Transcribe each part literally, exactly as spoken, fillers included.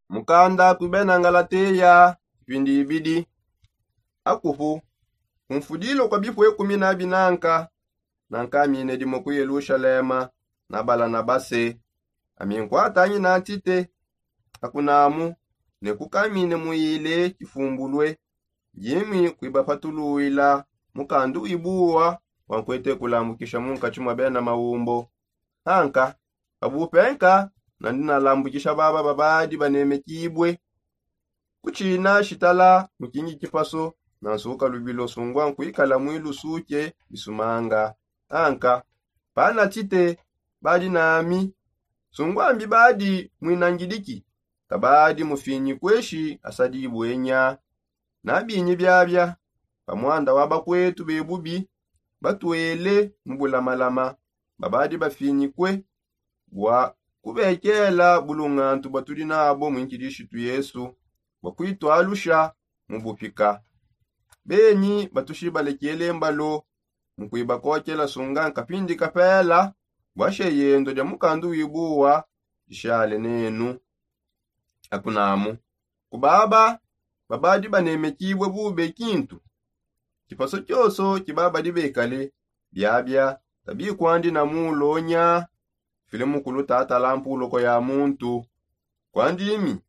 Mukanda ku bena ngalateya ipindi ibidi. Akupu, kumfudilo kwa bipue kumi na binanka, nankamine dimo ku yelushalema na balanabase. Ami nkwatangi na ntite akunamu, ne kukamine muile kifumbulue, yimwi kuibapatuluila mukandu wibuwa wankwete kulambukisha munkatshi mwa bena maumbo. Anka pabupenka nandi nalambukisha baba babadi banemekibue. Kutshina shitala mukingi kipaso nansuka lubilo sungwa nkuikala mwilusuke bisumanga. Anka pana tite badi nami, sungwa mbi badi mwinangidiki, tabadi mufinyi kweshi asadibwenya. Nabinyi biabia pa mwanda wa bakwetu bebubi batwele mu bulamalama, babadi bafinyikue bua kubekela bulungantu batudi nabo mu nkidishitu yesu, bua kuitwalusha mu bupika. Benyi batushi balekele mbalo mu kuibakokela sunga nkapindi kapela, bua sheyendo dia mukandu wibuwa dishale nenu. Akunamu kubaba babadi banemekibue bube kintu. Kipaso kioso kibabadi bekale biabia tabikwandi na mulonya file mukulu tatala mpuloko ya muntu. Kwandimi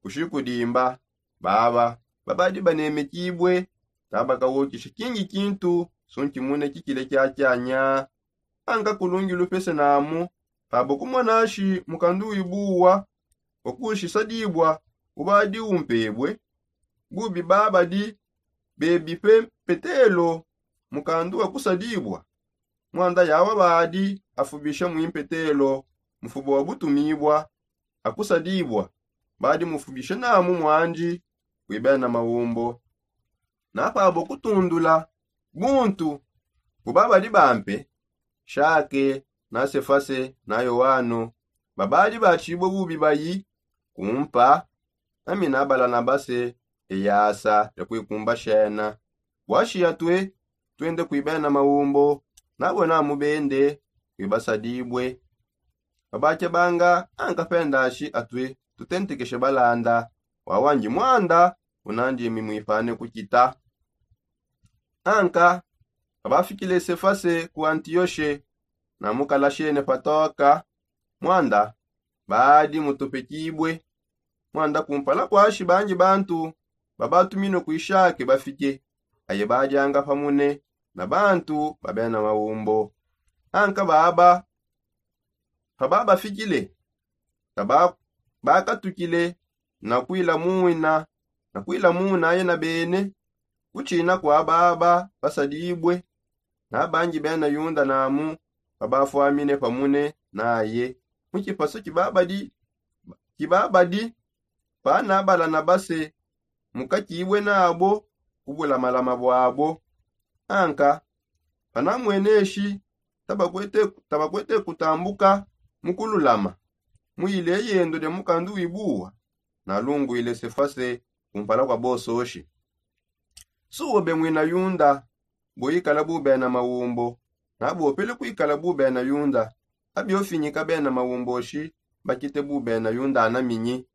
kushikudimba baba babadi banemekibue tabakawokisha kingi kintu sunkimune kikile kiakianya. Anka kulungi lupese namu pabo kumonashi mukandu wibuwa wakushisadibwa ubadi umpebue bubi babadi bebipe mpetelo. Mukandu wakusadibwa mwanda yawa badi afubisha mwimpetelo mufubo wa butumibwa akusadibwa badi mufubisha namu mwandi kuibena maumbo. Napabo kutundula buntu bubabadi bampe shake na sefase na yoano babadi batshibue bubi bayi kumpa nami na balanabase eyasa ya kuikumba shena. Bua shiya tue tuende kuibena maumbo nabo namu bende kuibasadibue. Babakebanga anka pendashi atue tutentekeshe balanda wawandi mwanda unandimi mwipane kukita. Anka pabafikile sefase ku antiyoshe na mukalashene patoka mwanda badi mutupekibue. Mwanda kumpala kwashi bangi bantu babatuminue kuishake bafike aye badianga pamune na bantu babena maumbo. Anka baba pababafikile bakatukile na kuilamuina na kuilamuina aye na bene kutshina kua baba basadibue. Na bangi bena yuda namu babafwamine pamune naye mu kipasu kibabadi kibabadi pana balanabase mukakibue nabo ku bulamalama buabo. Anka panamweneshi tabakwete tabakwete kutambuka mu kululama mu ile yendo dia mukandu wibuwa nalunguile sefase kumpala kua bososhi. Suobe mwina yunda buikala bubena maumbo nabopele kuikala bubena yunda. Abiofinyika bena maumboshi bakite bubena yunda anaminyi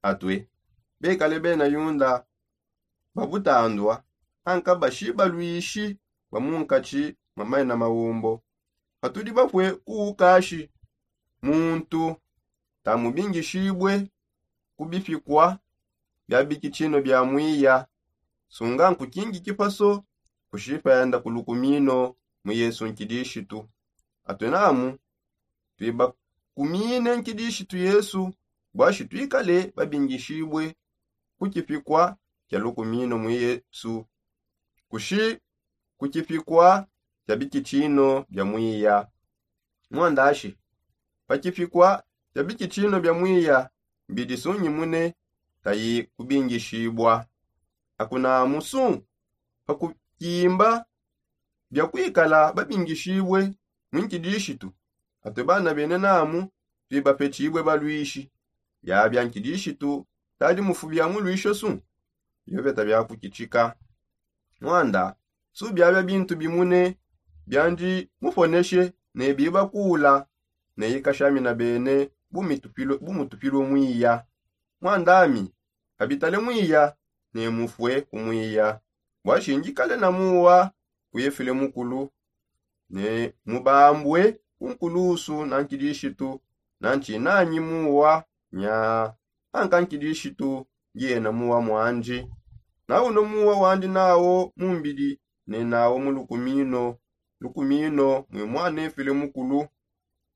atue bekale bena yunda babutandua anka bashibaluishi ba munkatshi mwa mena maumbo. Patudi bapue kuukashi muntu tamubingishibue ku bipikua bia bikitshino bia muiya sunga nkukingi kipaso kushipenda ku lukumino mu yesu nkidishitu. Atue namu tuibakumine nkidishitu yesu bua shi tuikale babingishibue ku kipikua kia lukumino mu yesu kushi ku kipikua kia bikitshino bia muiya. Muandashi pa kipikua kia bikitshino bia muiya mbidi sunyimune tayi kubingishibua. Akunamu su pa kukimba bia kuikala babingishibue mu nkidishitu atue bana bene namu tuibapetshibue baluishi. Biabia nkidishitu tadi mufubia muluisho su biobeta bia kukitshika. Muanda su biabia bintu bimune biandi muponeshe ne bibakula ne ikashamina bene bumutupilue muiya. mwandami, kabitale mwiya ne mufue kumwiya. Bua shindikale na muwa ku efile mukulu ne mubambue ku nkulusu na nkidishitu, na ntshinanyi muwa nya anka nkidishitu ndi ena muwa mwandi. Na uno muwa wandi nawo mu mbidi ne nawo mu lukumino, lukumino mui mwana efile mukulu.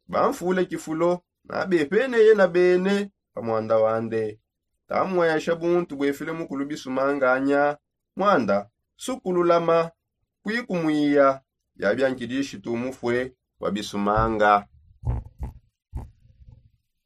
Bamfule kifulo na bepeneye na bene pa mwanda wande. Tamwesha buntu buefile mukulu bisumanganya mwanda sukululama kuikumwiya. Biabia nkidishitu mufue wa bisumanga.